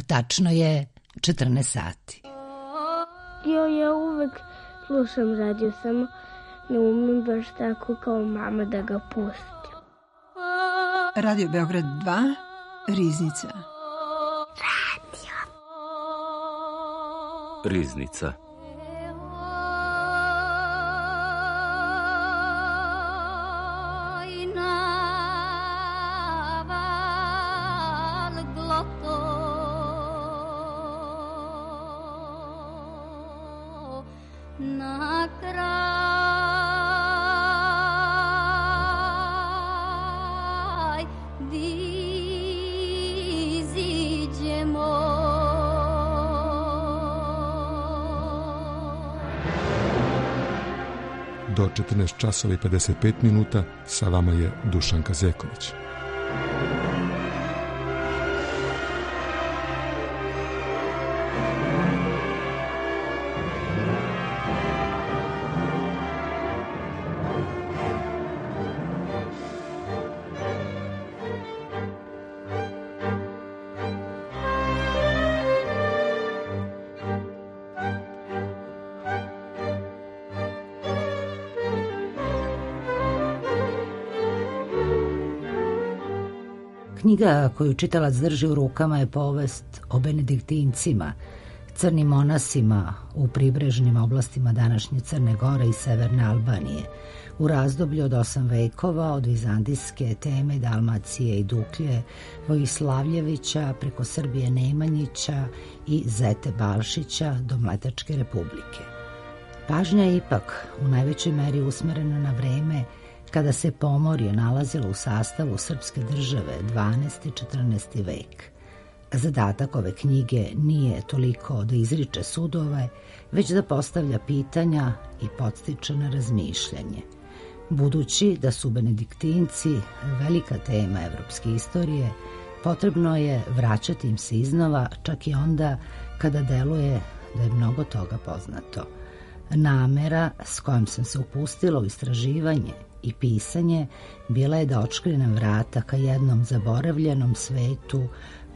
Tačno je 14 sati. Ja uvek slušam radio, samo ne umem baš tako kao mama da ga pustim. Radio Beograd 2, Riznica. Riznica. Do 14 časova i 55 minuta sa vama je Dušanka Zeković. Knjiga koju čitalac drži u rukama je povest o benediktincima, crnim monasima u pribrežnim oblastima današnje Crne Gore i severne Albanije, u razdoblju od 8 vekova, od vizantijske teme Dalmacije i Duklje, Vojislavljevića preko Srbije Nemanjića i Zete Balšića do Mletačke republike. Pažnja je ipak u najvećoj meri usmerena na vreme kada se Pomorje nalazilo u sastavu srpske države 12. i 14. vek. Zadatak ove knjige nije toliko da izriče sudove, već da postavlja pitanja i podstiče na razmišljanje. Budući da su benediktinci velika tema evropske istorije, potrebno je vraćati im se iznova, čak i onda kada deluje da je mnogo toga poznato. Namera s kojom sam se upustila u istraživanje i pisanje bila je da otškrinem vrata ka jednom zaboravljenom svetu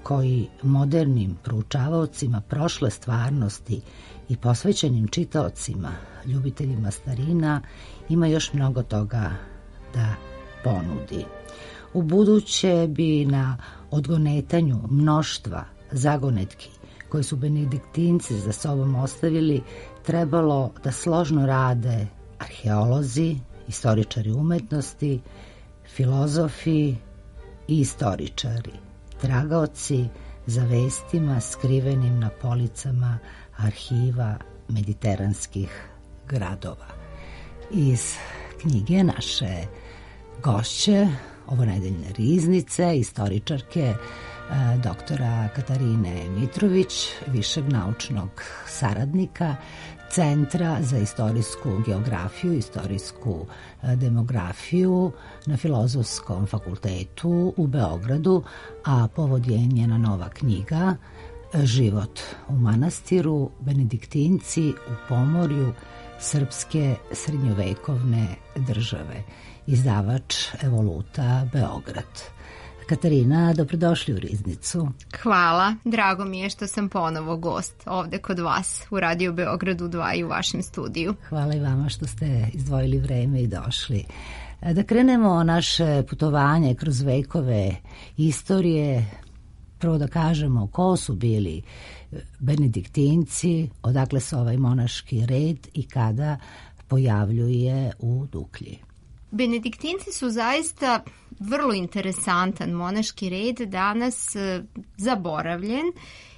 koji modernim proučavaocima prošle stvarnosti i posvećenim čitaocima, ljubiteljima starina, ima još mnogo toga da ponudi. U buduće bi na odgonetanju mnoštva zagonetki koje su benediktinci za sobom ostavili trebalo da složno rade arheolozi, istoričari umetnosti, filozofi i istoričari, tragaoci za vestima skrivenim na policama arhiva mediteranskih gradova. Iz knjige naše gošće ovonedeljne Riznice, istoričarke doktora Katarine Mitrović, višeg naučnog saradnika Centra za istorijsku geografiju i istorijsku demografiju na Filozofskom fakultetu u Beogradu, a povod je njena nova knjiga Život u manastiru, benediktinci u Pomorju srpske srednjovekovne države. Izdavač Evoluta Beograd. Katarina, dobrodošli u Riznicu. Hvala, drago mi je što sam ponovo gost ovde kod vas u Radio Beogradu 2 i u vašem studiju. Hvala i vama što ste izdvojili vreme i došli. Da krenemo naše putovanje kroz vekove istorije, prvo da kažemo ko su bili benediktinci, odakle se ovaj monaški red i kada pojavljuje u Duklji. Benediktinci su zaista vrlo interesantan monaški red, danas zaboravljen,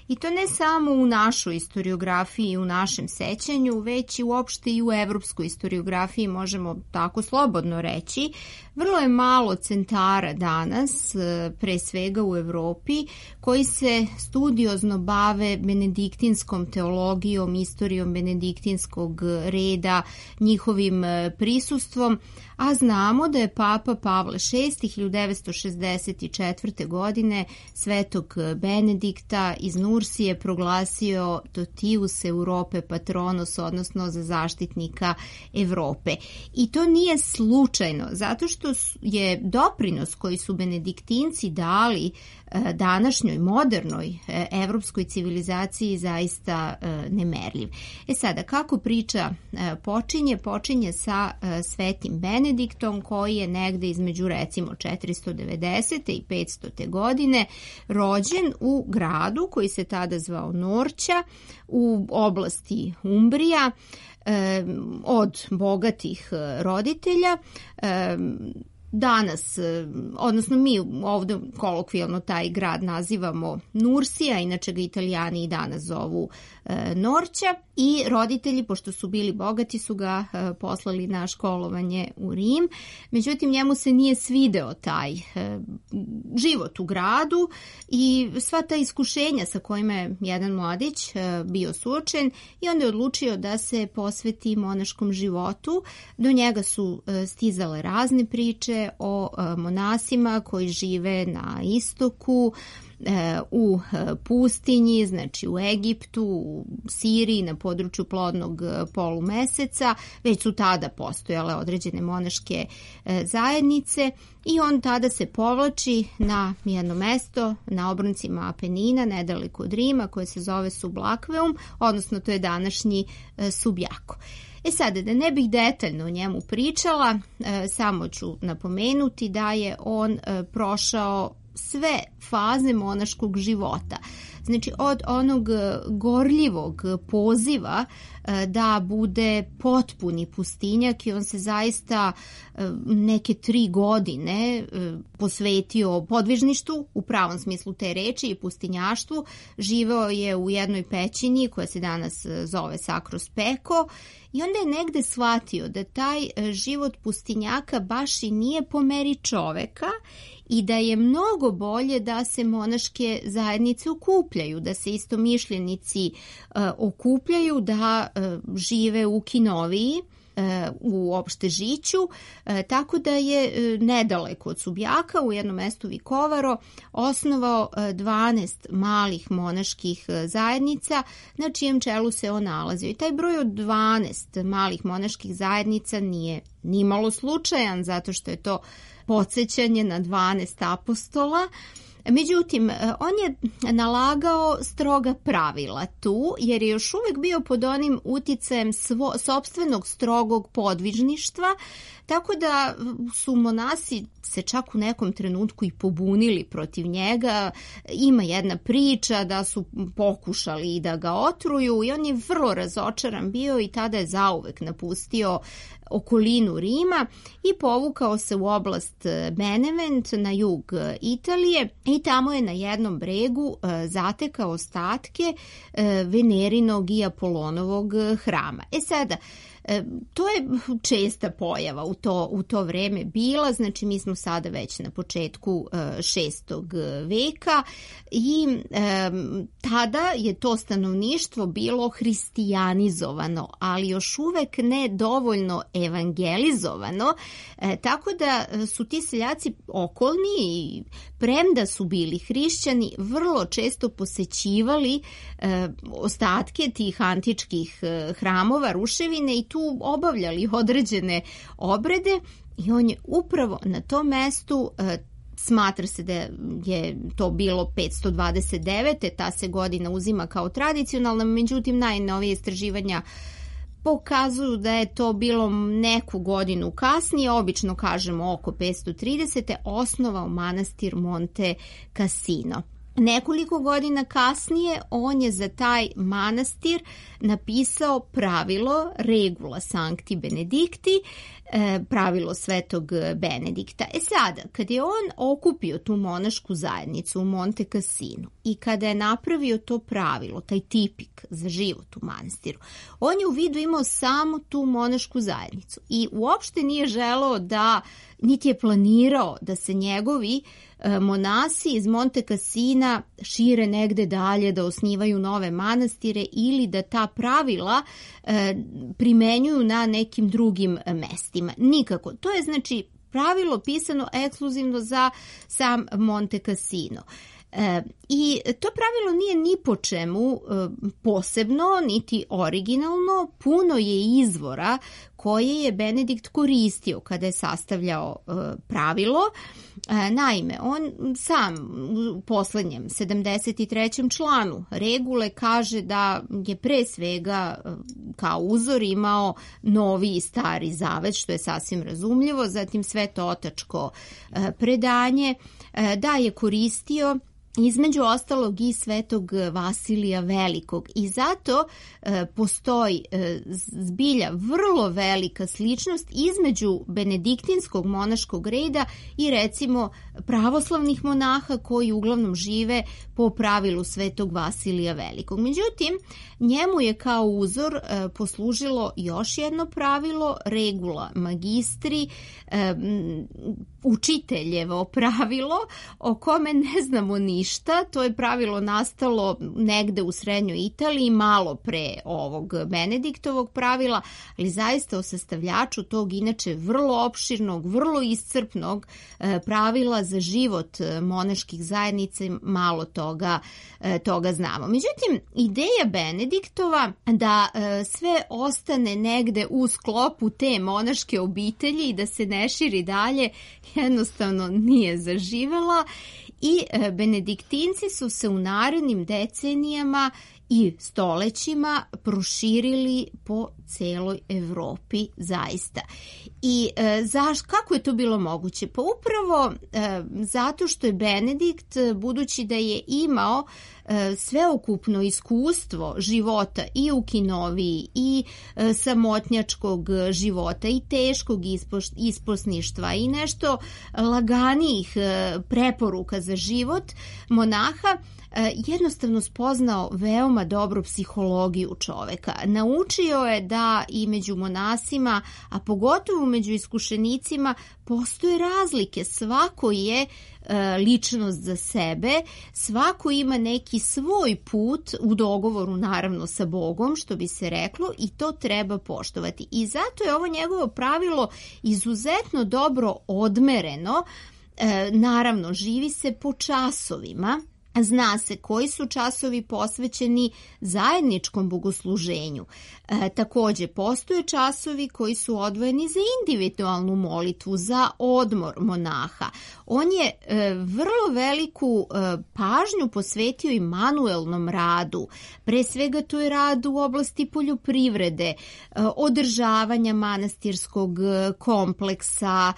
i to ne samo u našoj historiografiji i u našem sećanju, već i uopšte i u evropskoj historiografiji, možemo tako slobodno reći. Vrlo je malo centara danas, pre svega u Evropi, koji se studiozno bave benediktinskom teologijom, istorijom benediktinskog reda, njihovim prisustvom, a znamo da je Papa Pavle VI 1964. godine svetog Benedikta iz Nursije proglasio Totius Europe Patronos, odnosno za zaštitnika Evrope. I to nije slučajno, zato što je doprinos koji su benediktinci dali današnjoj modernoj evropskoj civilizaciji zaista nemerljiv. Sada, kako priča počinje? Počinje sa svetim Benediktom, koji je negde između recimo 490. i 500. godine rođen u gradu koji se tada zvao Norća u oblasti Umbrija, od bogatih roditelja. Danas, odnosno mi ovdje kolokvijalno taj grad nazivamo Nursija, inače ga Italijani i danas zovu Norća, i roditelji, pošto su bili bogati, su ga poslali na školovanje u Rim. Međutim, njemu se nije svideo taj život u gradu i sva ta iskušenja sa kojima je jedan mladić bio suočen, i onda je odlučio da se posveti monaškom životu. Do njega su stizale razne priče o monasima koji žive na istoku, u pustinji, znači u Egiptu, u Siriji, na području plodnog polumeseca. Već su tada postojale određene monaške zajednice i on tada se povlači na jedno mesto na obroncima Apenina, nedaleko od Rima, koje se zove Sublakveum, odnosno to je današnji Subjako. Sada, da ne bih detaljno o njemu pričala, samo ću napomenuti da je on prošao sve faze monaškog života. Znači, od onog gorljivog poziva da bude potpuni pustinjak, i on se zaista neke 3 godine posvetio podvižništvu u pravom smislu te reči i pustinjaštvu. Živeo je u jednoj pećini koja se danas zove Sacro Speco, i onda je negde shvatio da taj život pustinjaka baš i nije po meri čoveka i da je mnogo bolje da se monaške zajednice okupljaju, da se istomišljenici okupljaju, da žive u kinoviji, u opštežiću, tako da je nedaleko od Subjaka u jednom mestu Vikovaro osnovao 12 malih monaških zajednica na čijem čelu se on nalazio. I taj broj od 12 malih monaških zajednica nije nimalo slučajan, zato što je to podsjećanje na 12 apostola. Međutim, on je nalagao stroga pravila tu, jer je još uvijek bio pod onim uticajem sopstvenog strogog podvižništva, tako da su monasi se čak u nekom trenutku i pobunili protiv njega. Ima jedna priča da su pokušali da ga otruju i on je vrlo razočaran bio i tada je zauvek napustio okolinu Rima i povukao se u oblast Benevent na jug Italije, i tamo je na jednom bregu zatekao ostatke Venerinog i Apolonovog hrama. Sada, to je česta pojava u to vreme bila, znači mi smo sada već na početku 6. veka i tada je to stanovništvo bilo hristijanizovano, ali još uvek ne dovoljno evangelizovano, tako da su ti seljaci okolni i premda su bili hrišćani, vrlo često posećivali ostatke tih antičkih hramova, ruševine, i tu obavljali određene obrede, i on je upravo na tom mestu, smatra se da je to bilo 529. Ta se godina uzima kao tradicionalna, međutim najnovije istraživanja pokazuju da je to bilo neku godinu kasnije, obično kažemo oko 530. osnovao manastir Monte Cassino. Nekoliko godina kasnije on je za taj manastir napisao pravilo Regula Sancti Benedicti, pravilo svetog Benedikta. Sada, kad je on okupio tu monašku zajednicu u Monte Cassinu i kada je napravio to pravilo, taj tipik za život u manastiru, on je u vidu imao samo tu monašku zajednicu i uopšte nije želeo da niti je planirao da se njegovi monasi iz Monte Cassina šire negde dalje, da osnivaju nove manastire ili da ta pravila primenjuju na nekim drugim mestima. Nikako. To je znači pravilo pisano ekskluzivno za sam Monte Cassino. I to pravilo nije ni po čemu posebno, niti originalno, puno je izvora koje je Benedikt koristio kada je sastavljao pravilo. Naime, on sam u poslednjem 73. članu regule kaže da je pre svega kao uzor imao Novi i Stari zavet, što je sasvim razumljivo, zatim Svetotačko predanje, da je koristio između ostalog i Svetog Vasilija Velikog i zato postoji zbilja vrlo velika sličnost između benediktinskog monaškog reda i recimo pravoslavnih monaha koji uglavnom žive po pravilu Svetog Vasilija Velikog. Međutim, njemu je kao uzor poslužilo još jedno pravilo, regula magistri, učiteljevo pravilo o kome ne znamo ništa. To je pravilo nastalo negde u srednjoj Italiji, malo pre ovog Benediktovog pravila, ali zaista o sastavljaču tog inače vrlo opširnog, vrlo iscrpnog pravila za život monaških zajednica malo toga znamo. Međutim, ideja Benediktova da sve ostane negde u sklopu te monaške obitelji i da se ne širi dalje jednostavno nije zaživela i benediktinci su se u narednim decenijama i stolećima proširili po celoj Evropi zaista. I kako je to bilo moguće? Pa upravo zato što je Benedikt, budući da je imao sveokupno iskustvo života i u kinoviji i samotnjačkog života i teškog isposništva i nešto laganijih preporuka za život monaha, jednostavno spoznao veoma dobru psihologiju čoveka. Naučio je da i među monasima, a pogotovo među iskušenicima, postoje razlike. Svako je ličnost za sebe, svako ima neki svoj put u dogovoru naravno sa Bogom, što bi se reklo, i to treba poštovati. I zato je ovo njegovo pravilo izuzetno dobro odmereno. Naravno, živi se po časovima. Zna se koji su časovi posvećeni zajedničkom bogosluženju. Takođe, postoje časovi koji su odvojeni za individualnu molitvu, za odmor monaha. On je vrlo veliku pažnju posvetio i manuelnom radu. Pre svega to je rad u oblasti poljoprivrede, održavanja manastirskog kompleksa.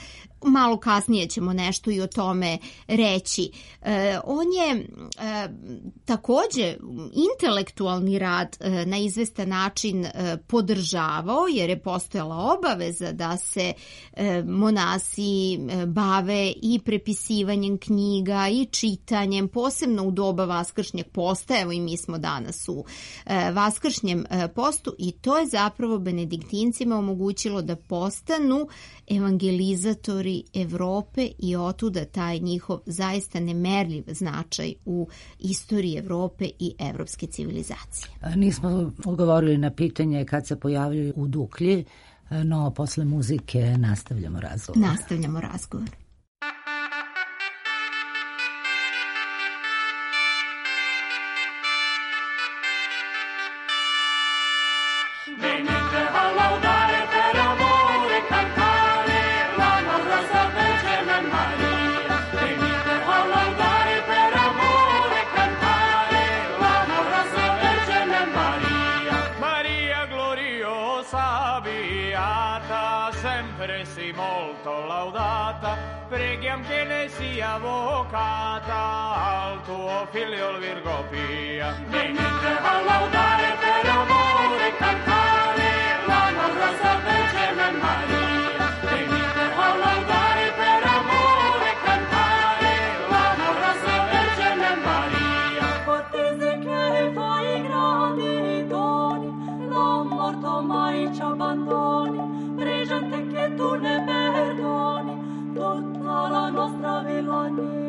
Malo kasnije ćemo nešto i o tome reći. On je takođe intelektualni rad na izvestan način podržavao, jer je postojala obaveza da se monasi bave i prepisivanjem knjiga i čitanjem, posebno u doba vaskršnjeg posta. Evo i mi smo danas u vaskršnjem postu i to je zapravo benediktincima omogućilo da postanu evangelizatori Evrope i otuda taj njihov zaista nemerljiv značaj u istoriji Evrope i evropske civilizacije. Nismo odgovorili na pitanje kad se pojavljuju u Duklji, no posle muzike nastavljamo razgovor. Preghiam che ne sia avvocata al tuo figlio Virgo Pia. Venite a laudare per amore e cantare l'amorosa Vergine Maria. Venite a laudare per amore e cantare l'amorosa Vergine Maria. Fortese che fai grandi doni, non morto mai ci abbandoni, pregente che tu ne perdoni. nostra villania.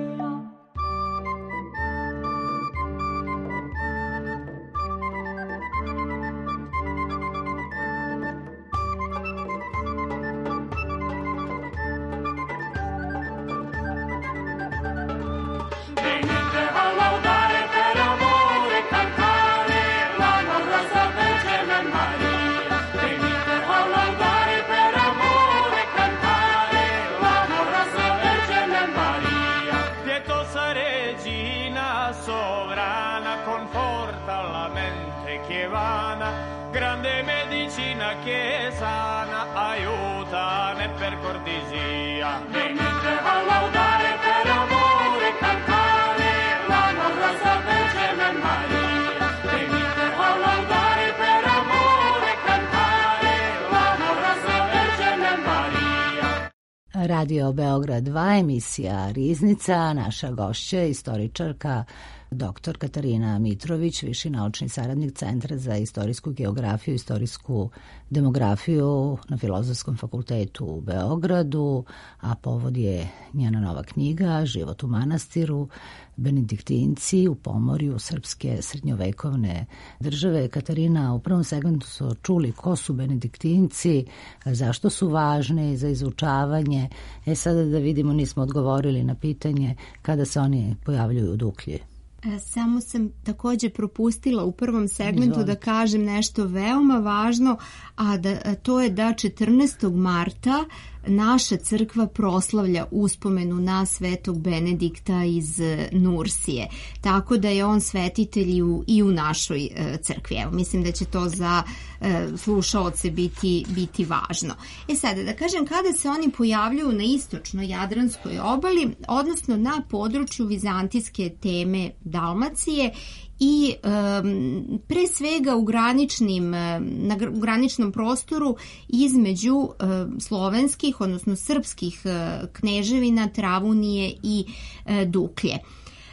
Grande medicina che sana, aiutane per cortesia. Venite a laudare per amore, cantare la nostra Vergine Maria. Venite a laudare per amore, cantare la nostra Vergine Maria. Radio Beograd 2, emisija Riznica, naša gošća, istoričarka dr. Katarina Mitrović, viši naučni saradnik Centra za istorijsku geografiju i istorijsku demografiju na Filozofskom fakultetu u Beogradu, a povod je njena nova knjiga Život u manastiru, Benediktinci u Pomorju srpske srednjovekovne države. Katarina, u prvom segmentu su čuli ko su Benediktinci, zašto su važni za izučavanje. Sada da vidimo, nismo odgovorili na pitanje kada se oni pojavljuju u Duklji. Samo sam također propustila u prvom segmentu da kažem nešto veoma važno, a to je da 14. marta naša crkva proslavlja uspomenu na svetog Benedikta iz Nursije. Tako da je on svetitelj i u našoj crkvi. Evo, mislim da će to za slušaoce biti važno. Sada da kažem, kada se oni pojavljuju na istočnoj Jadranskoj obali, odnosno na području vizantijske teme Dalmacije i pre svega u graničnom prostoru između slovenskih, odnosno srpskih kneževina Travunije i Duklje.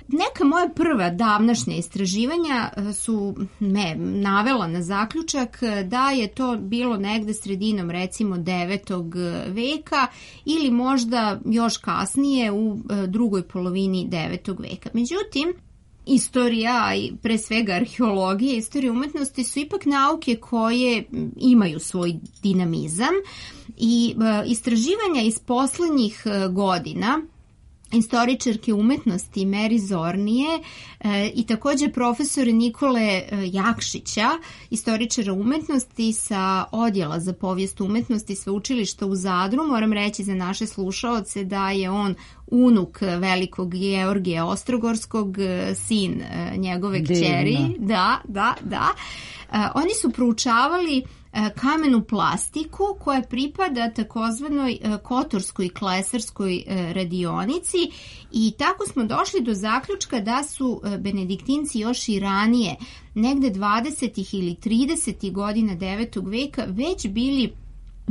Neka moja prva davnašnja istraživanja su me navela na zaključak da je to bilo negde sredinom recimo 9. veka ili možda još kasnije u drugoj polovini 9. veka. Međutim, istorija i pre svega arheologija, istorija umetnosti su ipak nauke koje imaju svoj dinamizam i istraživanja iz poslednjih godina istoričarke umetnosti Meri Zornije i također profesora Nikole Jakšića, istoričara umetnosti sa odjela za povijest umetnosti Sveučilišta u Zadru. Moram reći za naše slušaoce da je on unuk velikog Georgija Ostrogorskog, sin njegove kćeri. Da. Oni su proučavali kamenu plastiku koja pripada takozvanoj kotorskoj klesarskoj radionici i tako smo došli do zaključka da su Benediktinci još i ranije, negde 20. ili 30. godina 9. veka, već bili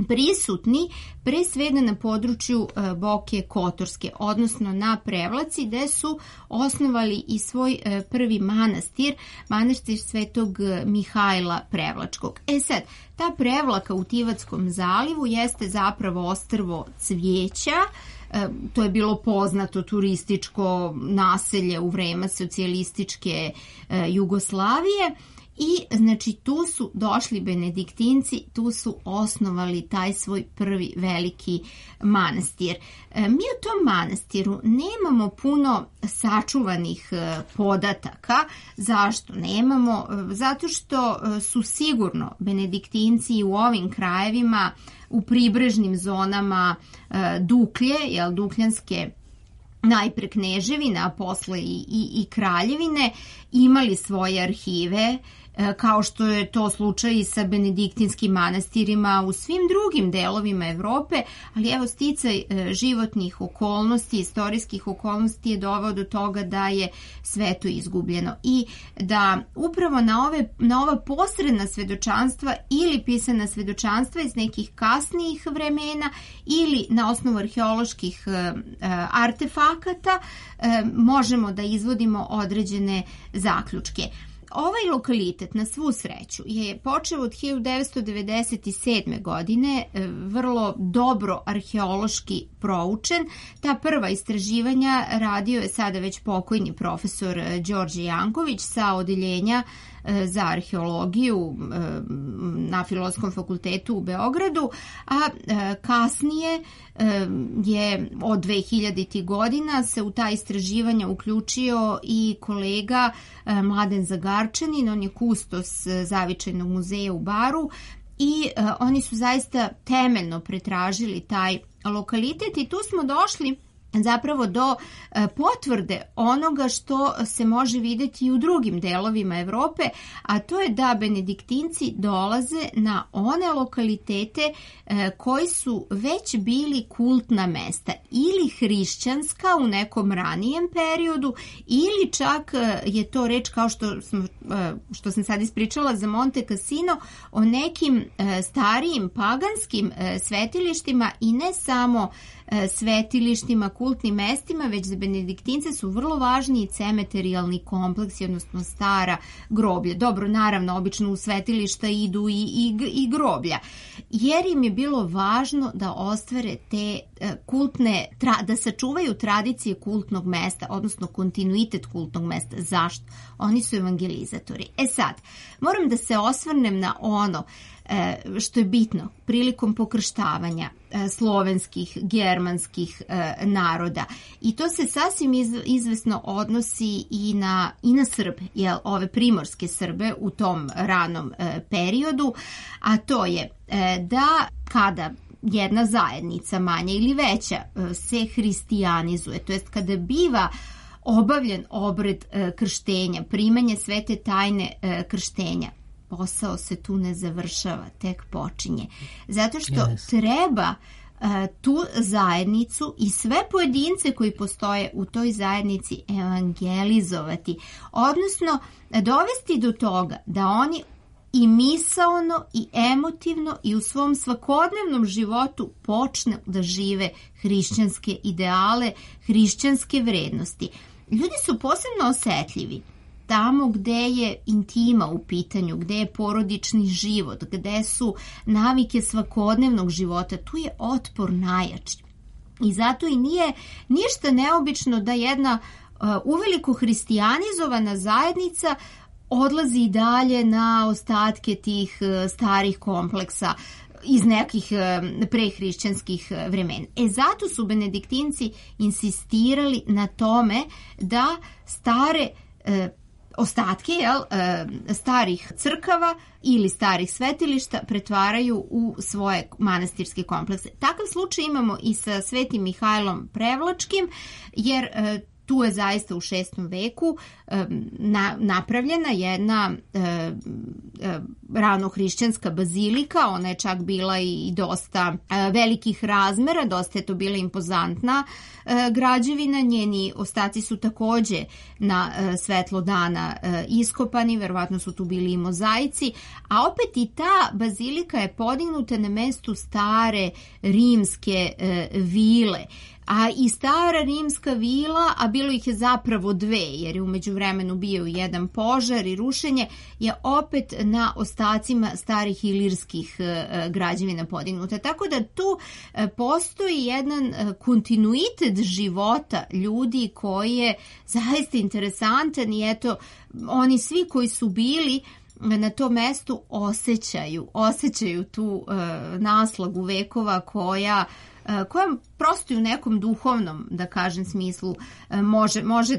prisutni pre svega na području Boke Kotorske, odnosno na Prevlaci, gde su osnovali i svoj prvi manastir Svetog Mihajla Prevlačkog. Sad, ta Prevlaka u Tivatskom zalivu jeste zapravo ostrvo cvijeća. To je bilo poznato turističko naselje u vreme socijalističke Jugoslavije. I znači tu su došli Benediktinci, tu su osnovali taj svoj prvi veliki manastir. Mi u tom manastiru nemamo puno sačuvanih podataka. Zašto nemamo? Zato što su sigurno Benediktinci u ovim krajevima, u pribrežnim zonama Duklje, Dukljanske najpre kneževine, a posle i kraljevine, imali svoje arhive, kao što je to slučaj i sa benediktinskim manastirima u svim drugim delovima Evrope, ali evo sticaj životnih okolnosti, istorijskih okolnosti je doveo do toga da je sve to izgubljeno i da upravo na ova posredna svedočanstva ili pisana svedočanstva iz nekih kasnijih vremena ili na osnovu arheoloških artefakata možemo da izvodimo određene zaključke. Ovaj lokalitet, na svu sreću, je počeo od 1997. godine, vrlo dobro arheološki proučen. Ta prva istraživanja radio je sada već pokojni profesor Đorđe Janković sa odeljenja za arheologiju na Filozofskom fakultetu u Beogradu, a kasnije je od 2000. godina se u ta istraživanja uključio i kolega Mladen Zagarčanin, on je kustos Zavičajnog muzeja u Baru i oni su zaista temeljno pretražili taj lokalitet i tu smo došli zapravo do potvrde onoga što se može vidjeti i u drugim delovima Evrope, a to je da benediktinci dolaze na one lokalitete koji su već bili kultna mesta ili hrišćanska u nekom ranijem periodu ili čak je to reč kao što sam sad ispričala za Monte Cassino o nekim starijim paganskim svetilištima i ne samo svetilištima, kultnim mestima, već za benediktince su vrlo važni i cemeterijalni kompleksi, odnosno stara groblja. Dobro, naravno, obično u svetilišta idu i groblja, jer im je bilo važno da ostvare te kultne, da sačuvaju tradicije kultnog mesta, odnosno kontinuitet kultnog mesta. Zašto? Oni su evangelizatori. Sad, moram da se osvrnem na ono što je bitno prilikom pokrštavanja slovenskih, germanskih naroda. I to se sasvim izvesno odnosi i na Srbe, ove primorske Srbe u tom ranom periodu, a to je da kada jedna zajednica, manja ili veća, se hristijanizuje, to jest kada biva obavljen obred krštenja, primanje svete tajne krštenja, posao se tu ne završava, tek počinje. Zato što treba tu zajednicu i sve pojedince koji postoje u toj zajednici evangelizovati, odnosno dovesti do toga da oni i misaono i emotivno i u svom svakodnevnom životu počnu da žive hrišćanske ideale, hrišćanske vrednosti. Ljudi su posebno osetljivi tamo gde je intima u pitanju, gde je porodični život, gde su navike svakodnevnog života, tu je otpor najjači. I zato i nije ništa neobično da jedna uveliko hristijanizovana zajednica odlazi i dalje na ostatke tih starih kompleksa iz nekih prehrišćanskih vremena. Zato su benediktinci insistirali na tome da stare ostatke starih crkava ili starih svetilišta pretvaraju u svoje manastirske komplekse. Takav slučaj imamo i sa Svetim Mihajlom Prevlačkim, jer tu je zaista u 6. veku napravljena jedna ranohrišćanska bazilika. Ona je čak bila i dosta velikih razmera, dosta je to bila impozantna građevina. Njeni ostaci su takođe na svetlo dana iskopani, verovatno su tu bili i mozaici, a opet i ta bazilika je podignuta na mestu stare rimske vile. A i stara rimska vila, a bilo ih je zapravo dve, jer je u međuvremenu bio jedan požar i rušenje, je opet na ostacima starih ilirskih građevina podignuta. Tako da tu postoji jedan kontinuitet života ljudi koji je zaista interesantan i eto, oni svi koji su bili na tom mestu osjećaju tu naslagu vekova koja prosto u nekom duhovnom, da kažem, smislu može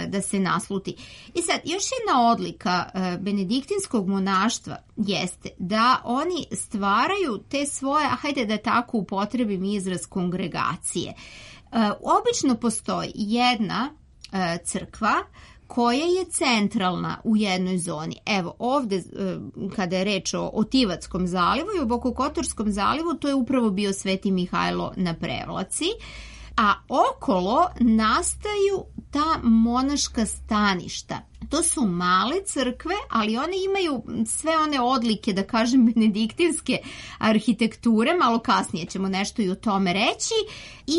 da se nasluti. I sad, još jedna odlika benediktinskog monaštva jeste da oni stvaraju te svoje, hajde da tako upotrebim izraz, kongregacije. Obično postoji jedna crkva koja je centralna u jednoj zoni. Evo, ovde, kada je reč o Tivatskom zalivu i o Bokokotorskom zalivu, to je upravo bio Sveti Mihajlo na Prevlaci, a okolo nastaju ta monaška staništa. To su male crkve, ali one imaju sve one odlike, da kažem, benediktinske arhitekture, malo kasnije ćemo nešto i o tome reći, i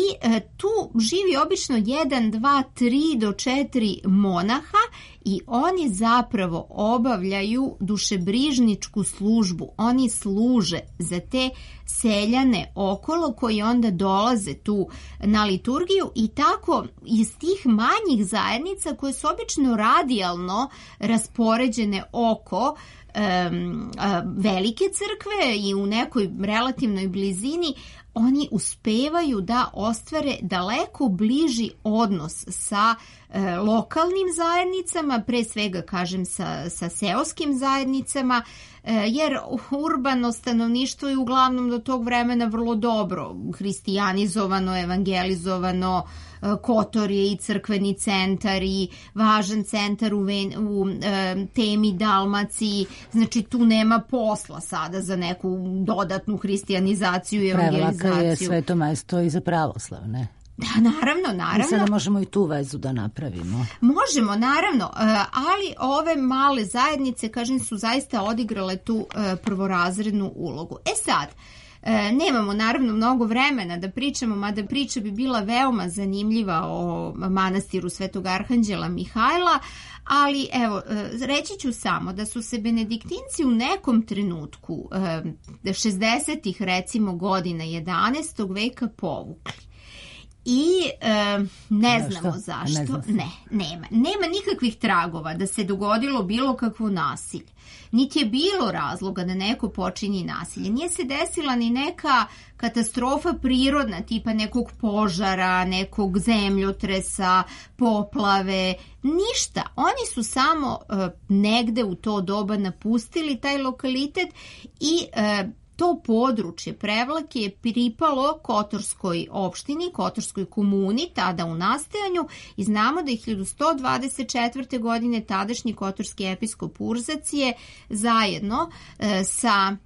tu živi obično 1, 2, 3 do 4 monaha i oni zapravo obavljaju dušebrižničku službu. Oni služe za te seljane okolo koji onda dolaze tu na liturgiju i tako iz tih manjih zajednica koje su obično radijalno raspoređene oko velike crkve i u nekoj relativnoj blizini, oni uspevaju da ostvare daleko bliži odnos sa lokalnim zajednicama, pre svega kažem sa seoskim zajednicama, jer urbano stanovništvo je uglavnom do tog vremena vrlo dobro hristijanizovano, evangelizovano. Kotor je i crkveni centar i važan centar u Temi, Dalmaciji, znači tu nema posla sada za neku dodatnu hristijanizaciju i evangelizaciju. Prevlaka je sveto mesto i za pravoslav, ne? Da, naravno. I sada možemo i tu vezu da napravimo. Možemo, naravno, ali ove male zajednice, kažem, su zaista odigrale tu prvorazrednu ulogu. Sad, nemamo naravno mnogo vremena da pričamo, mada priča bi bila veoma zanimljiva o manastiru Svetog Arhanđela Mihajla, ali evo, reći ću samo da su se benediktinci u nekom trenutku 60-ih recimo godina 11. veka povukli. I ne znamo zašto. Nema nikakvih tragova da se dogodilo bilo kakvo nasilje. Niti je bilo razloga da neko počini nasilje. Nije se desila ni neka katastrofa prirodna, tipa nekog požara, nekog zemljotresa, poplave, ništa. Oni su samo negde u to doba napustili taj lokalitet i to područje Prevlake je pripalo Kotorskoj opštini, Kotorskoj komuni, tada u nastajanju, i znamo da je 1124. godine tadašnji kotorski episkop Urzac je zajedno sa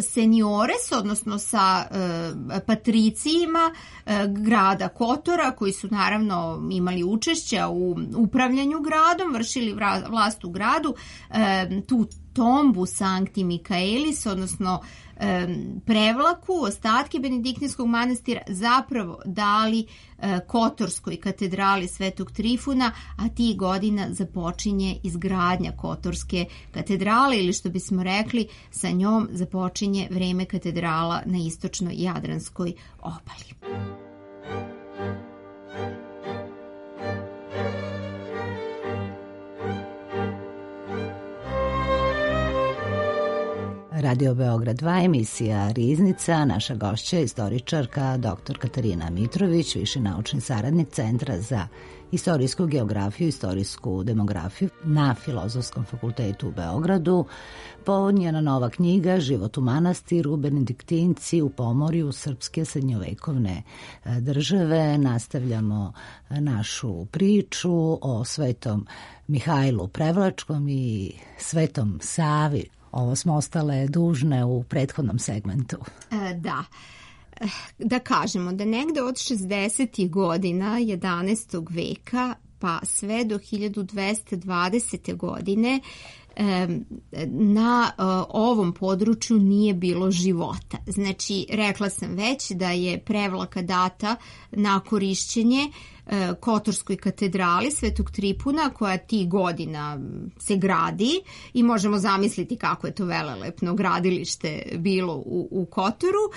seniores, odnosno sa patricijima grada Kotora, koji su naravno imali učešća u upravljanju gradom, vršili vlast u gradu, tu tombu Sankti Mikaelis, odnosno Prevlaku, ostatke benediktinskog manastira zapravo dali Kotorskoj katedrali Svetog Trifuna, a tih godina započinje izgradnja Kotorske katedrale, ili što bismo rekli, sa njom započinje vreme katedrala na istočnoj Jadranskoj obali. Radio Beograd 2, emisija Riznica, naša gošća je istoričarka dr. Katarina Mitrović, viši naučni saradnik Centra za istorijsku geografiju i istorijsku demografiju na Filozofskom fakultetu u Beogradu. Njena nova knjiga Život u manastiru, benediktinci u Pomorju srpske srednjovekovne države. Nastavljamo našu priču o Svetom Mihajlu Prevlačkom i Svetom Savi. Ovo smo ostale dužne u prethodnom segmentu. Da kažemo da negde od 60. godina 11. veka pa sve do 1220. godine na ovom području nije bilo života. Znači, rekla sam već da je Prevlaka data na korišćenje Kotorskoj katedrali Svetog Tripuna, koja tih godina se gradi i možemo zamisliti kako je to velelepno gradilište bilo u Kotoru,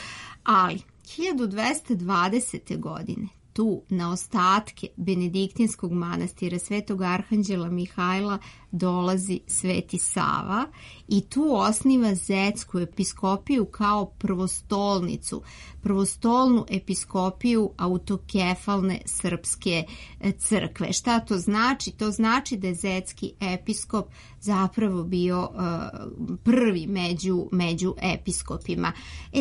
ali 1220. godine tu na ostatke benediktinskog manastira Svetog Arhanđela Mihajla dolazi Sveti Sava i tu osniva Zetsku episkopiju kao prvostolnu episkopiju autokefalne srpske crkve. Šta to znači? To znači da je Zetski episkop zapravo bio prvi među episkopima.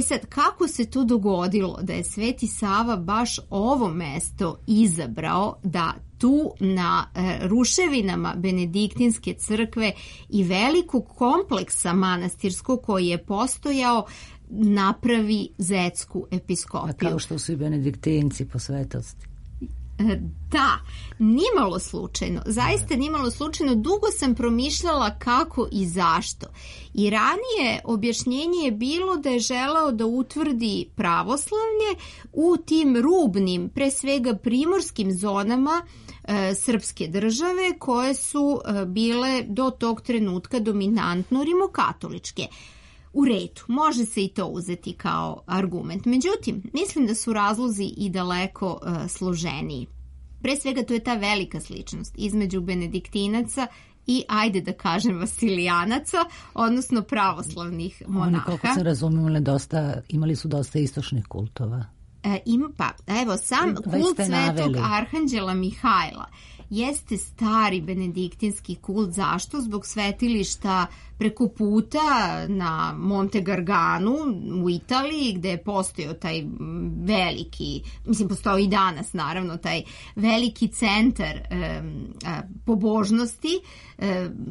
Sad, kako se to dogodilo da je Sveti Sava baš ovo mesto izabrao da tu na ruševinama benediktinske crkve i velikog kompleksa manastirskog koji je postojao napravi Zetsku episkopiju? A kao što su i benediktinci po svetosti. Da, nimalo slučajno, zaista nimalo slučajno, dugo sam promišljala kako i zašto. I ranije objašnjenje je bilo da je želeo da utvrdi pravoslavlje u tim rubnim, pre svega primorskim zonama srpske države koje su bile do tog trenutka dominantno rimokatoličke. U redu, može se i to uzeti kao argument. Međutim, mislim da su razlozi i daleko složeniji. Pre svega to je ta velika sličnost između benediktinaca i, ajde da kažem, vasilijanaca, odnosno pravoslavnih monaha. Oni, koliko se razumijeli, imali su dosta istočnih kultova. Sam kult Svetog Arhanđela Mihajla jeste stari benediktinski kult. Zašto? Zbog svetilišta preko puta na Monte Garganu u Italiji, gde je postojao taj veliki, postoji i danas naravno, taj veliki centar pobožnosti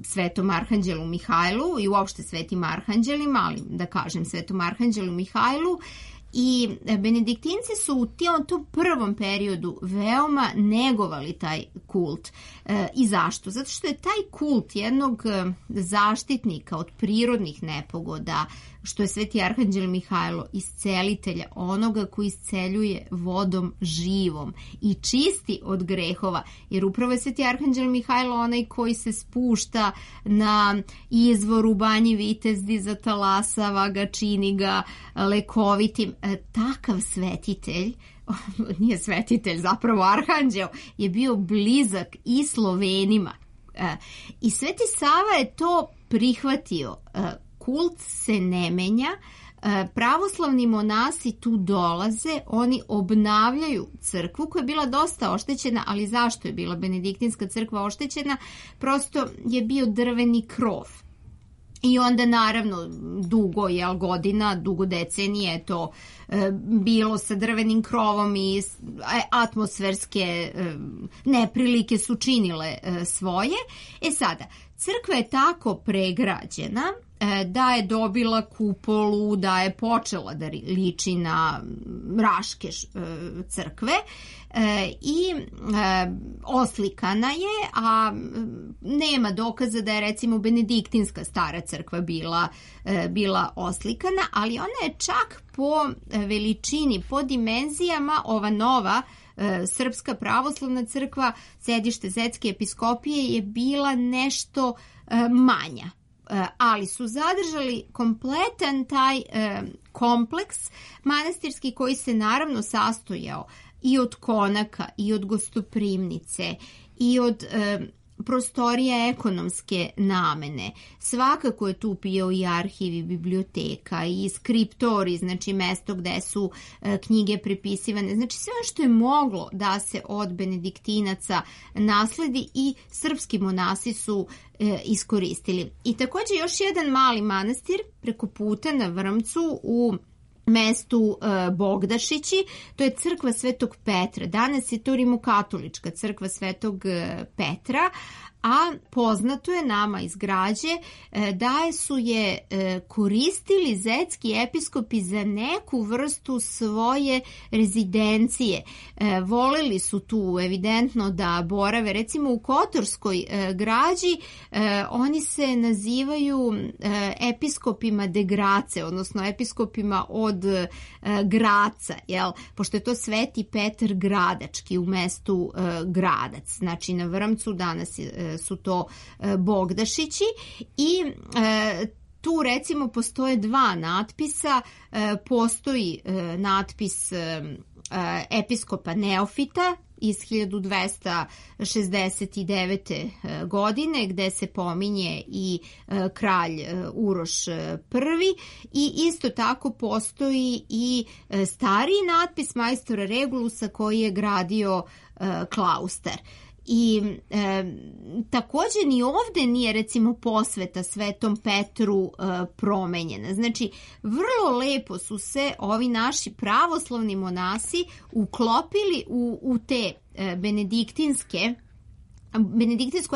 Svetom Arhanđelu Mihajlu i uopšte Svetim Arhanđelima, ali da kažem Svetom Arhanđelu Mihajlu. I benediktinci su u tom prvom periodu veoma negovali taj kult. I zašto? Zato što je taj kult jednog zaštitnika od prirodnih nepogoda, što je Sveti Arhanđel Mihajlo, iscelitelja, onoga koji isceljuje vodom živom i čisti od grehova, jer upravo je Sveti Arhanđel Mihajlo onaj koji se spušta na izvor u Banji Vitezdi, zatalasava ga, čini ga lekovitim. Takav svetitelj, nije svetitelj, zapravo arhanđel, je bio blizak i Slovenima. I Sveti Sava je to prihvatio. Kult se ne menja, pravoslavni monasi tu dolaze, oni obnavljaju crkvu koja je bila dosta oštećena, ali zašto je bila benediktinska crkva oštećena? Prosto je bio drveni krov. I onda naravno dugo decenije je to bilo sa drvenim krovom i atmosferske neprilike su činile svoje. Sada, crkva je tako pregrađena da je dobila kupolu, da je počela da liči na Raške crkve i oslikana je, a nema dokaza da je recimo benediktinska stara crkva bila oslikana, ali ona je čak po veličini, po dimenzijama, ova nova Srpska pravoslavna crkva, sedište Zetske episkopije, je bila nešto manja. Ali su zadržali kompletan taj kompleks manastirski koji se naravno sastojao i od konaka i od gostoprimnice i od prostorija ekonomske namene. Svakako je tu bio i arhiv i biblioteka i skriptori, znači mesto gde su knjige prepisivane, znači sve što je moglo da se od benediktinaca nasledi i srpski monasi su iskoristili. I također još jedan mali manastir preko puta na Vrmcu u mestu Bogdašići, to je crkva Svetog Petra. Danas je to rimokatolička crkva Svetog Petra, a poznato je nama iz građe da su je koristili zetski episkopi za neku vrstu svoje rezidencije. Voleli su tu evidentno da borave. Recimo u Kotorskoj građi oni se nazivaju episkopima de Grace, odnosno episkopima od Graca, jel? Pošto je to Sveti Petar Gradački u mestu Gradac. Znači na Vrmcu danas su to Bogdašići i tu recimo postoje dva natpisa. Postoji natpis episkopa Neofita iz 1269. godine gde se pominje i kralj Uroš I i isto tako postoji i stariji natpis majstora Regulusa koji je gradio klaustar. I također ni ovdje nije recimo posveta Svetom Petru promenjena. Znači vrlo lepo su se ovi naši pravoslavni monasi uklopili u te benediktinsku,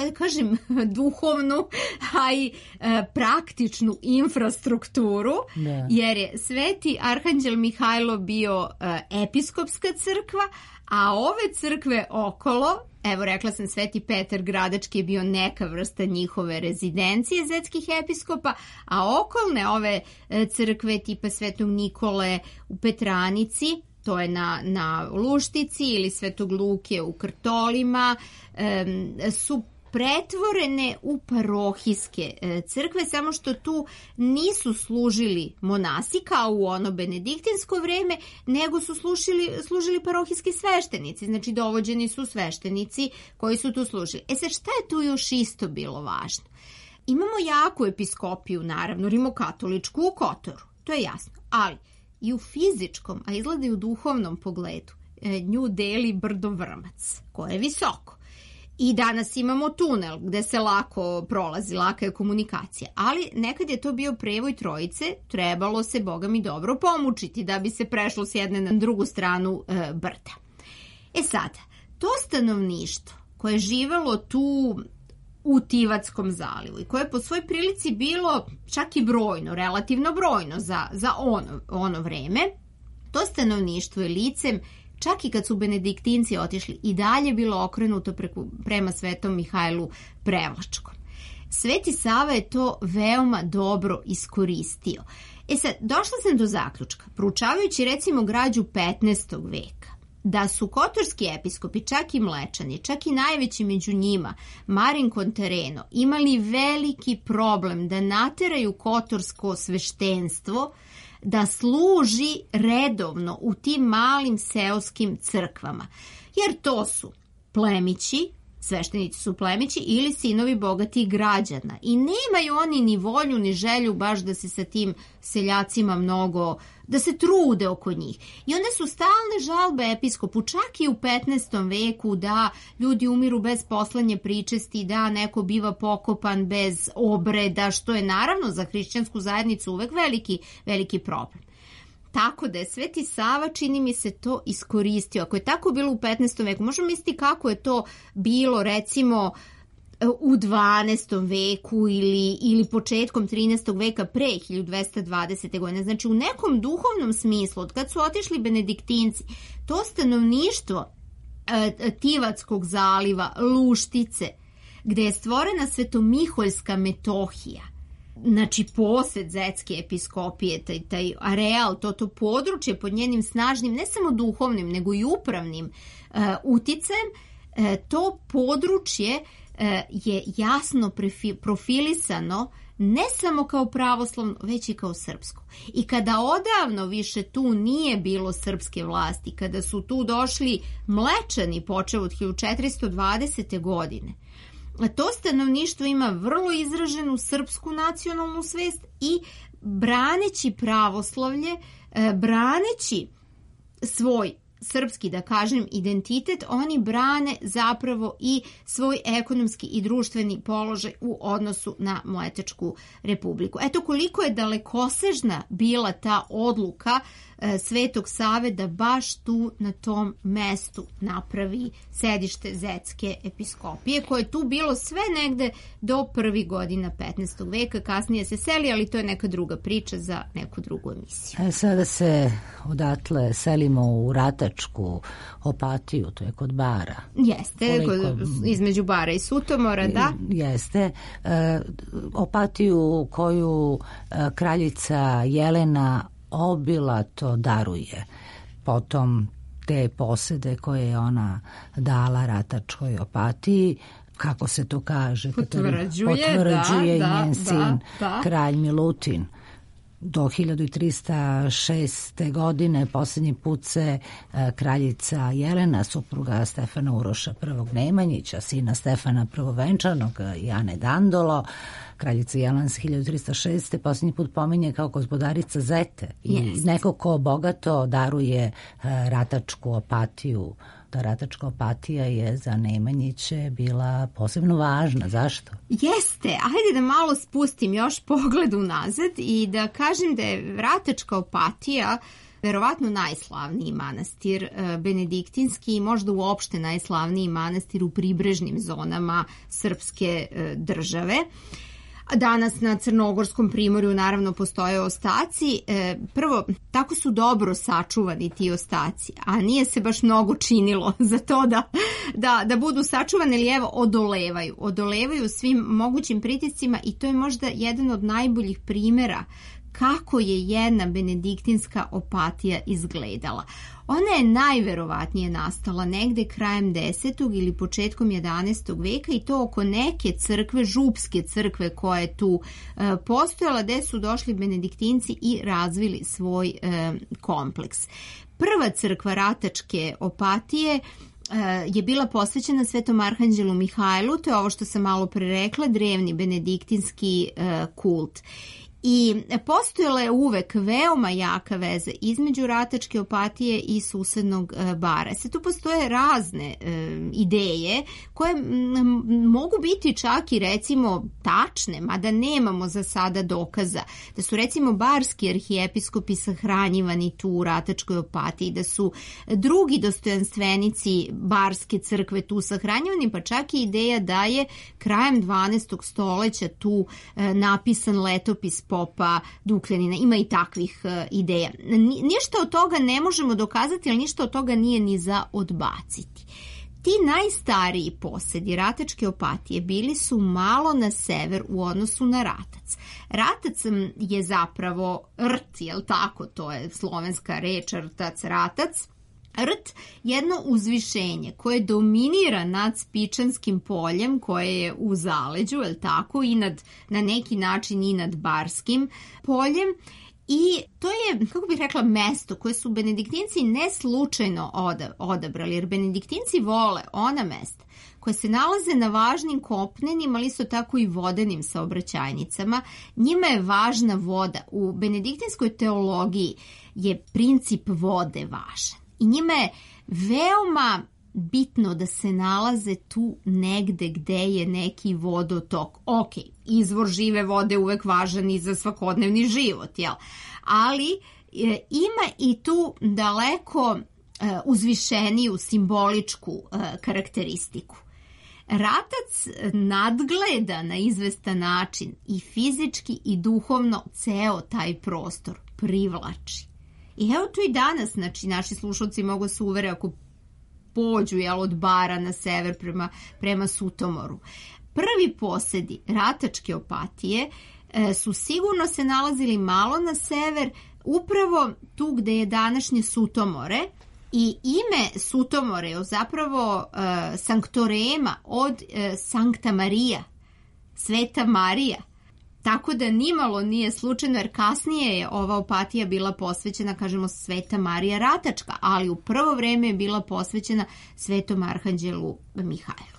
da kažem, duhovnu, a i praktičnu infrastrukturu, jer je Sveti Arhanđel Mihajlo bio episkopska crkva, A ove crkve okolo, evo rekla sam Sveti Petar Gradački je bio neka vrsta njihove rezidencije zetskih episkopa, a okolne ove crkve tipa Svetog Nikole u Petranici, to je na Luštici, ili Svetog Luke u Krtolima, su pretvorene u parohijske crkve, samo što tu nisu služili monasi kao u ono benediktinsko vreme, nego su služili parohijski sveštenici, znači dovođeni su sveštenici koji su tu služili. Sad, šta je tu još isto bilo važno? Imamo jaku episkopiju, naravno, rimokatoličku u Kotoru, to je jasno, ali i u fizičkom, a izgleda i u duhovnom pogledu, nju deli brdo Vrmac, koje je visoko. I danas imamo tunel gde se lako prolazi, laka je komunikacija, ali nekad je to bio prevoj trojice, trebalo se, Boga mi, dobro pomučiti da bi se prešlo s jedne na drugu stranu brda. Sada, to stanovništvo koje je živelo tu u Tivatskom zalivu i koje je po svoj prilici bilo čak i brojno, relativno brojno za ono vreme, to stanovništvo je licem, čak i kad su benediktinci otišli, i dalje bilo okrenuto prema Svetom Mihajlu Prevlačkom. Sveti Sava je to veoma dobro iskoristio. Sad, došla sam do zaključka, proučavajući recimo građu 15. veka, da su kotorski episkopi, čak i Mlečani, čak i najveći među njima, Marin Kontareno, imali veliki problem da nateraju kotorsko sveštenstvo da služi redovno u tim malim seoskim crkvama. Jer to su plemići, sveštenici su plemići ili sinovi bogatih građana. I nemaju oni ni volju ni želju baš da se sa tim seljacima mnogo, da se trude oko njih. I onda su stalne žalbe episkopu, čak i u 15. veku, da ljudi umiru bez poslanje pričesti, da neko biva pokopan bez obreda, što je naravno za hrišćansku zajednicu uvek veliki problem. Tako da je Sveti Sava, čini mi se, to iskoristio. Ako je tako bilo u 15. veku, možemo misliti kako je to bilo recimo u 12. veku ili početkom 13. veka pre 1220. godine. Znači u nekom duhovnom smislu, od kad su otišli benediktinci, to stanovništvo Tivatskog zaliva, Luštice, gde je stvorena Svetomiholjska metohija, znači posed zetske episkopije, taj areal, to područje pod njenim snažnim, ne samo duhovnim, nego i upravnim uticajem, to područje je jasno profilisano ne samo kao pravoslavno, već i kao srpsko. I kada odavno više tu nije bilo srpske vlasti, kada su tu došli Mlečani počev od 1420. godine, to stanovništvo ima vrlo izraženu srpsku nacionalnu svest i braneći pravoslavlje, braneći svoj srpski, da kažem, identitet, oni brane zapravo i svoj ekonomski i društveni položaj u odnosu na Mletačku republiku. Eto koliko je dalekosežna bila ta odluka Svetog Save da baš tu na tom mestu napravi sedište zetske episkopije, koje je tu bilo sve negde do prvih godina 15. veka, kasnije se seli, ali to je neka druga priča za neku drugu emisiju. Sada se odatle selimo u Ratačku Opatiju, to je kod Bara. Jeste, između Bara i Sutomora, da. Jeste. Opatiju koju kraljica Jelena obilato daruje. Potom te posede koje je ona dala Ratačkoj Opatiji, kako se to kaže, potvrđuje i njen sin, kralj Milutin. Do 1306. godine posljednji put se kraljica Jelena, supruga Stefana Uroša I. Nemanjića, sina Stefana Prvovenčanog i Ane Dandolo, kraljica Jelena se 1306. posljednji put pominje kao gospodarica Zete i neko ko bogato daruje Ratačku Opatiju. Ta Ratačka Opatija je za Nemanjiće bila posebno važna. Zašto? Jeste. Ajde da malo spustim još pogled unazad i da kažem da je Ratačka Opatija verovatno najslavniji manastir benediktinski i možda uopšte najslavniji manastir u pribrežnim zonama srpske države. Danas na Crnogorskom primorju naravno postoje ostaci. Prvo, tako su dobro sačuvani ti ostaci, a nije se baš mnogo činilo za to da budu sačuvani, ili evo odolevaju svim mogućim pritiscima i to je možda jedan od najboljih primjera kako je jedna benediktinska opatija izgledala. Ona je najverovatnije nastala negde krajem 10. ili početkom 11. veka i to oko neke crkve, župske crkve koja je tu postojala, gde su došli benediktinci i razvili svoj kompleks. Prva crkva Ratačke opatije je bila posvećena Svetom arhanđelu Mihajlu, to je ovo što sam malo pre rekla, drevni benediktinski kult. I postojala je uvek veoma jaka veza između Ratačke opatije i susednog bara. Sad tu postoje razne ideje koje mogu biti čak i recimo tačne, mada nemamo za sada dokaza. Da su recimo barski arhijepiskopi sahranjivani tu u Ratačkoj opatiji, da su drugi dostojanstvenici barske crkve tu sahranjivani, pa čak i ideja da je krajem 12. stoleća tu napisan letopis popa Dukljanina. Ima i takvih ideja. Ništa od toga ne možemo dokazati, ali ništa od toga nije ni za odbaciti. Ti najstariji posedi Ratačke opatije bili su malo na sever u odnosu na Ratac. Ratac je zapravo rt, jel tako? To je slovenska reč rtac, ratac. Rt, jedno uzvišenje koje dominira nad Spičanskim poljem koje je u zaleđu, je li tako, i na neki način i nad Barskim poljem. I to je, kako bih rekla, mesto koje su benediktinci ne slučajno odabrali, jer benediktinci vole ona mesta koje se nalaze na važnim kopnenim, ali isto tako i vodenim saobraćajnicama. Njima je važna voda. U benediktinskoj teologiji je princip vode važan. I njima je veoma bitno da se nalaze tu negde gde je neki vodotok. Ok, izvor žive vode uvek važan i za svakodnevni život, jel? Ali ima i tu daleko uzvišeniju simboličku karakteristiku. Ratac nadgleda na izvestan način i fizički i duhovno ceo taj prostor privlači. I evo tu i danas, znači, naši slušalci mogu se uvere ako pođu od Bara na sever prema Sutomoru. Prvi posedi Ratačke opatije su sigurno se nalazili malo na sever, upravo tu gde je današnje Sutomore, i ime Sutomore je zapravo sanktorema od Sankta Marija, Sveta Marija. Tako da nimalo nije slučajno, jer kasnije je ova opatija bila posvećena, kažemo, Sveta Marija Ratačka, ali u prvo vreme je bila posvećena Svetom arhanđelu Mihajlu.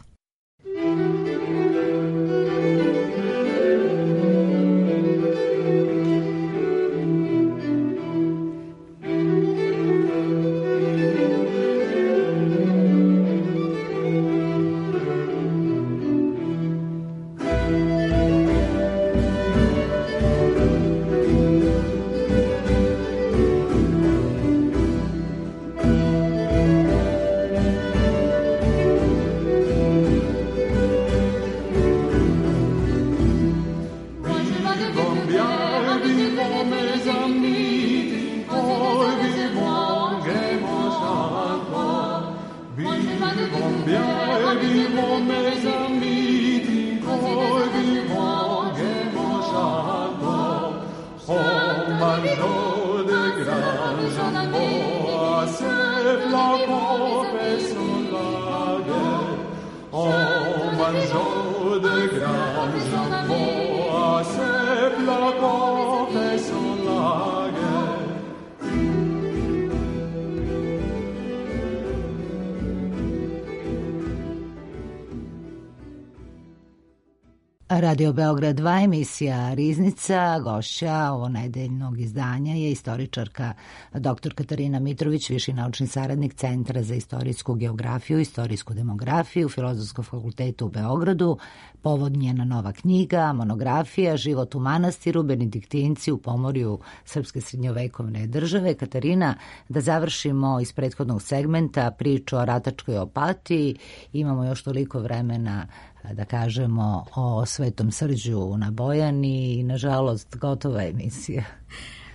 Radio Beograd 2, emisija Riznica, gošća ovonedeljnog izdanja je istoričarka dr. Katarina Mitrović, viši naučni saradnik Centra za istorijsku geografiju i istorijsku demografiju Filozofskog fakulteta u Beogradu. Povod njena nova knjiga, monografija Život u manastiru, benediktinci u pomorju srpske srednjovekovne države. Katarina, da završimo iz prethodnog segmenta priču o Ratačkoj opatiji. Imamo još toliko vremena da kažemo, o Svetom Srđu na Bojani i nažalost gotova emisija.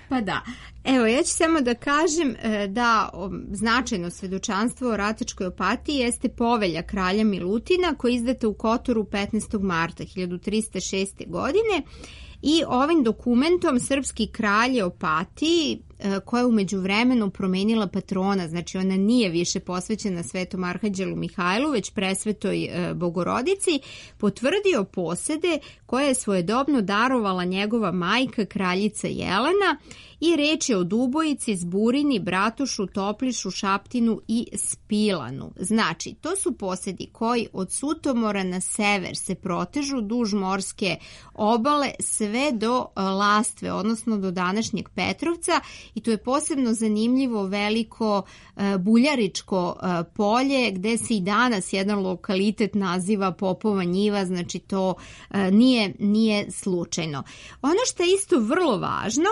Pa da. Evo, ja ću samo da kažem da značajno svedočanstvo o Ratačkoj opatiji jeste povelja kralja Milutina koja je izdata u Kotoru 15. marta 1306. godine i ovim dokumentom srpski kralj je Opatiji, koja je u međuvremenu promenila patrona, znači ona nije više posvećena Svetom Arhanđelu Mihajlu, već Presvetoj Bogorodici, potvrdio posede koje je svojedobno darovala njegova majka kraljica Jelena i reč je o Dubojici, Zburini, Bratušu, Toplišu, Šaptinu i Spilanu. Znači, to su posedi koji od Sutomora na sever se protežu duž morske obale sve do Lastve, odnosno do današnjeg Petrovca, i to je posebno zanimljivo veliko buljaričko polje gde se i danas jedan lokalitet naziva Popova njiva, znači to nije slučajno. Ono što je isto vrlo važno,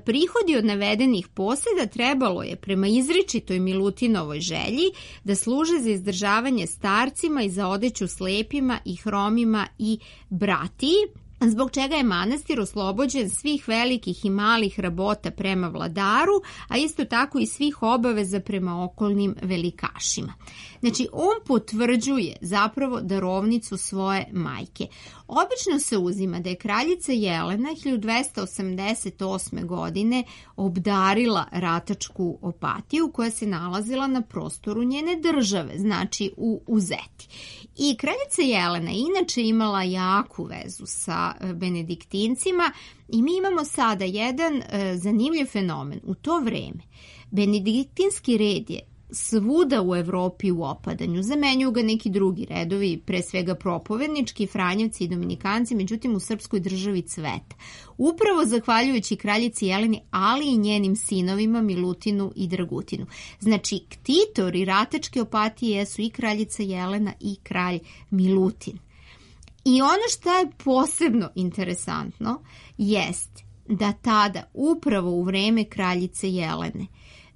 prihodi od navedenih poseda trebalo je prema izričitoj Milutinovoj želji da služe za izdržavanje starcima i za odeću slepima i hromima i bratiji, zbog čega je manastir oslobođen svih velikih i malih rabota prema vladaru, a isto tako i svih obaveza prema okolnim velikašima. Znači, on potvrđuje zapravo darovnicu svoje majke. Obično se uzima da je kraljica Jelena 1288. godine obdarila Ratačku opatiju koja se nalazila na prostoru njene države, znači u Zeti. I kraljica Jelena inače imala jaku vezu sa benediktincima i mi imamo sada jedan zanimljiv fenomen. U to vreme benediktinski red je svuda u Evropi u opadanju. Zamenjuju ga neki drugi redovi, pre svega propovednički, Franjevci i Dominikanci, međutim u srpskoj državi cveta. Upravo zahvaljujući kraljici Jeleni, ali i njenim sinovima Milutinu i Dragutinu. Znači, ktitori Ratačke opatije jesu i kraljica Jelena i kralj Milutin. I ono što je posebno interesantno jest da tada, upravo u vreme kraljice Jelene,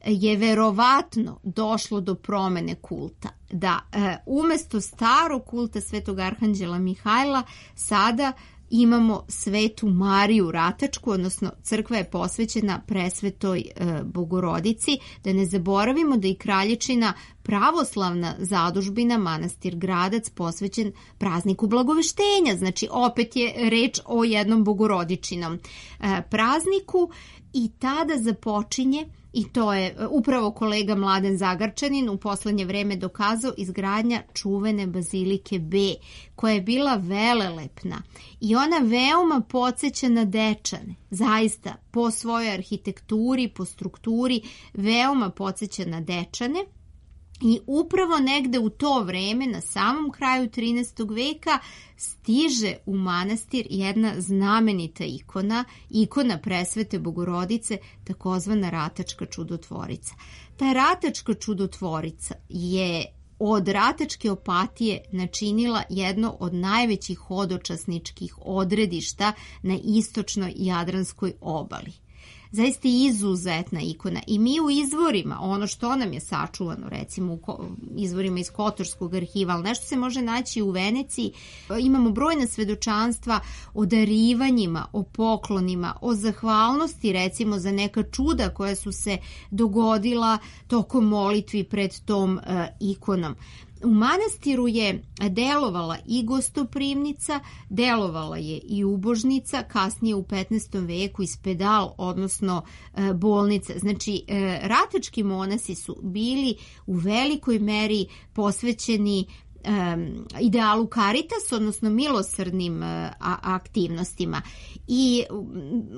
je verovatno došlo do promene kulta. Da umesto starog kulta Svetog Arhanđela Mihajla sada imamo Svetu Mariju Ratačku, odnosno crkva je posvećena Presvetoj Bogorodici. Da ne zaboravimo da i kraljičina pravoslavna zadužbina manastir Gradac posvećen prazniku Blagoveštenja. Znači opet je reč o jednom bogorodičinom prazniku i tada započinje, i to je upravo kolega Mladen Zagarčanin u poslednje vreme dokazao, izgradnja čuvene bazilike B, koja je bila velelepna i ona veoma podsjeća na Dečane. Zaista, po svojoj arhitekturi, po strukturi, veoma podsjeća na Dečane. I upravo negde u to vreme, na samom kraju 13. veka, stiže u manastir jedna znamenita ikona Presvete Bogorodice, takozvana Ratačka čudotvorica. Ta Ratačka čudotvorica je od Ratačke opatije načinila jedno od najvećih hodočasničkih odredišta na istočnoj Jadranskoj obali. Zaista izuzetna ikona i mi u izvorima, ono što nam je sačuvano, recimo u izvorima iz Kotorskog arhiva, ali nešto se može naći u Veneciji, imamo brojna svedočanstva o darivanjima, o poklonima, o zahvalnosti recimo za neka čuda koja su se dogodila tokom molitvi pred tom ikonom. U manastiru je delovala i gostoprimnica, delovala je i ubožnica, kasnije u 15. veku i spedal, odnosno bolnica. Znači, ratački monasi su bili u velikoj meri posvećeni idealu Caritas, odnosno milosrdnim aktivnostima. I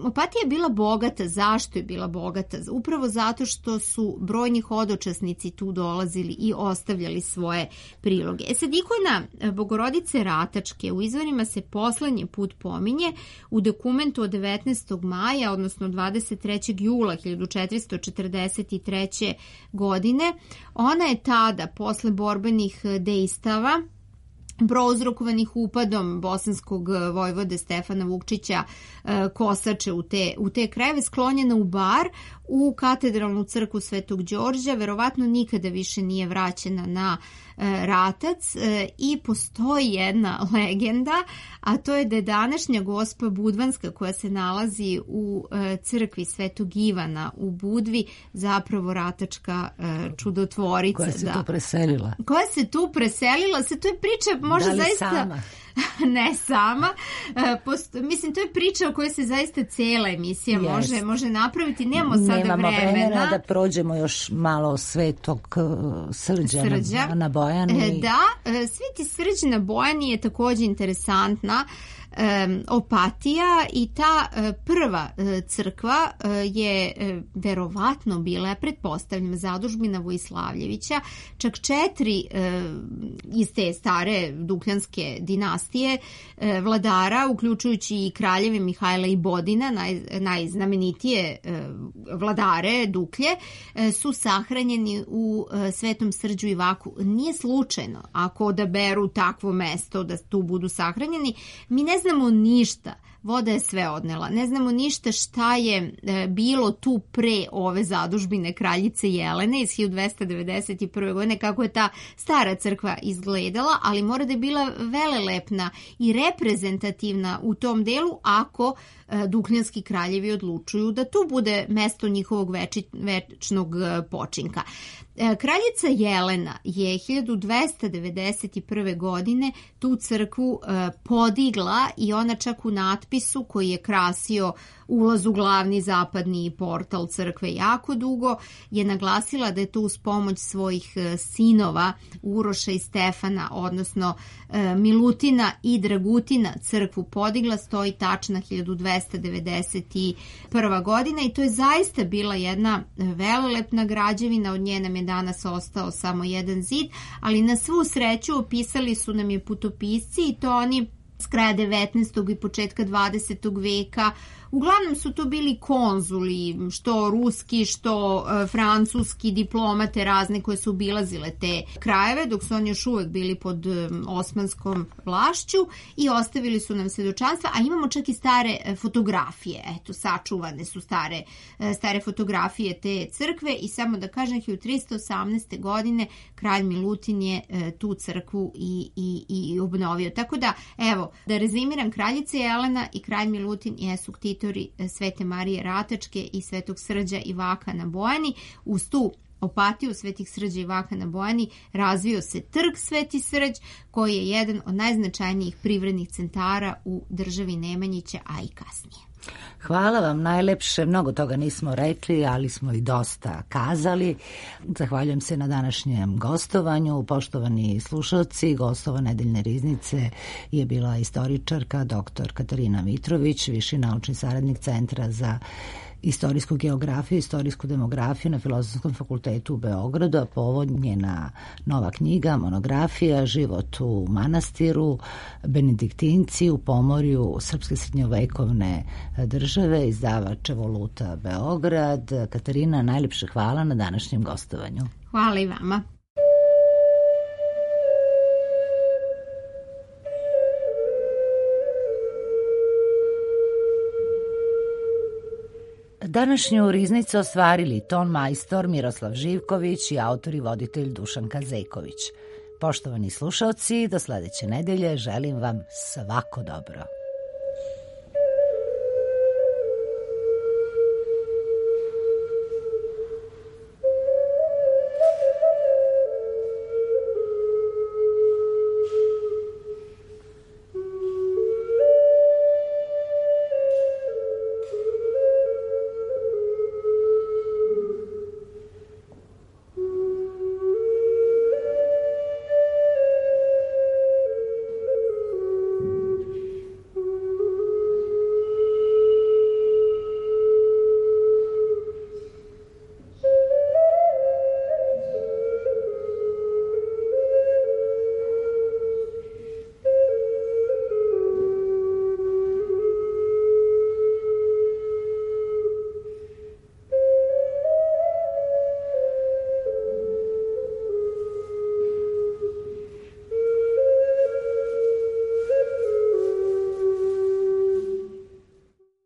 opatija je bila bogata. Zašto je bila bogata? Upravo zato što su brojni hodočasnici tu dolazili i ostavljali svoje priloge. Sad, ikona Bogorodice Ratačke u izvorima se poslednji put pominje u dokumentu od 19. maja, odnosno 23. jula 1443. godine. Ona je tada, posle borbenih dejstava, prouzrokovanih upadom bosanskog vojvode Stefana Vukčića Kosače u te krajeve, sklonjena u Bar, u katedralnu crkvu Svetog Đorđa, verovatno nikada više nije vraćena na Ratac i postoji jedna legenda, a to je da je današnja Gospa Budvanska koja se nalazi u crkvi Svetog Ivana u Budvi zapravo ratačka čudotvorica. Koja se tu preselila. Koja se tu preselila, to je priča možda zaista... sama? Ne sama. Mislim, to je priča o kojoj se zaista cijela emisija može napraviti. Nemamo vremena da prođemo još malo Svetog Srđa na Bojani. Da, Sveti Srđ na Bojani je također interesantna Opatija i ta prva crkva je verovatno bila, pretpostavljam, zadužbina Vojislavljevića, čak 4 iz te stare dukljanske dinastije vladara, uključujući i kraljeve Mihajla i Bodina, najznamenitije vladare Duklje, su sahranjeni u Svetom Srđu i Vaku. Nije slučajno ako odaberu takvo mesto da tu budu sahranjeni. Mi ne znamo ništa, voda je sve odnela, ne znamo ništa šta je bilo tu pre ove zadužbine kraljice Jelene iz 1291. godine, kako je ta stara crkva izgledala, ali mora da je bila velelepna i reprezentativna u tom delu ako dukljanski kraljevi odlučuju da tu bude mesto njihovog večnog počinka. Kraljica Jelena je 1291. godine tu crkvu podigla i ona čak u natpisu koji je krasio ulaz u glavni zapadni portal crkve jako dugo je naglasila da je to uz pomoć svojih sinova Uroša i Stefana, odnosno Milutina i Dragutina crkvu podigla, stoji tačna 1291. godina i to je zaista bila jedna velelepna građevina, od nje nam je danas ostao samo jedan zid, ali na svu sreću opisali su nam je putopisci i to oni s kraja 19. i početka 20. veka. Uglavnom su to bili konzuli, što ruski, što francuski, diplomate razne koje su obilazile te krajeve, dok su oni još uvek bili pod osmanskom vlašću i ostavili su nam svjedočanstva, a imamo čak i stare fotografije. Eto, sačuvane su stare fotografije te crkve i samo da kažem, 1318. godine kralj Milutin je tu crkvu i obnovio. Tako da, evo, da rezimiram, kraljica Jelena i kralj Milutin jesu ktitori Svete Marije Ratačke i Svetog Srđa i Vaka na Bojani. Uz tu Opatiju Svetih Srđa i Vaka na Bojani razvio se trg Sveti Srđ, koji je jedan od najznačajnijih privrednih centara u državi Nemanjića, a i kasnije. Hvala vam najlepše, mnogo toga nismo rekli, ali smo i dosta kazali. Zahvaljujem se na današnjem gostovanju. Poštovani slušalci, gostova Nedeljne riznice je bila istoričarka dr. Katarina Mitrović, viši naučni saradnik Centra za istorijsku geografiju i istorijsku demografiju na Filozofskom fakultetu u Beogradu, a povod njena nova knjiga, monografija Život u manastiru, Benediktinci u Pomorju srpske srednjovekovne države, izdavač Evoluta Beograd. Katarina, najlepše hvala na današnjem gostovanju. Hvala i vama. Današnju riznicu ostvarili ton majstor Miroslav Živković i autor i voditelj Dušan Kazeković. Poštovani slušalci, do sledeće nedelje želim vam svako dobro.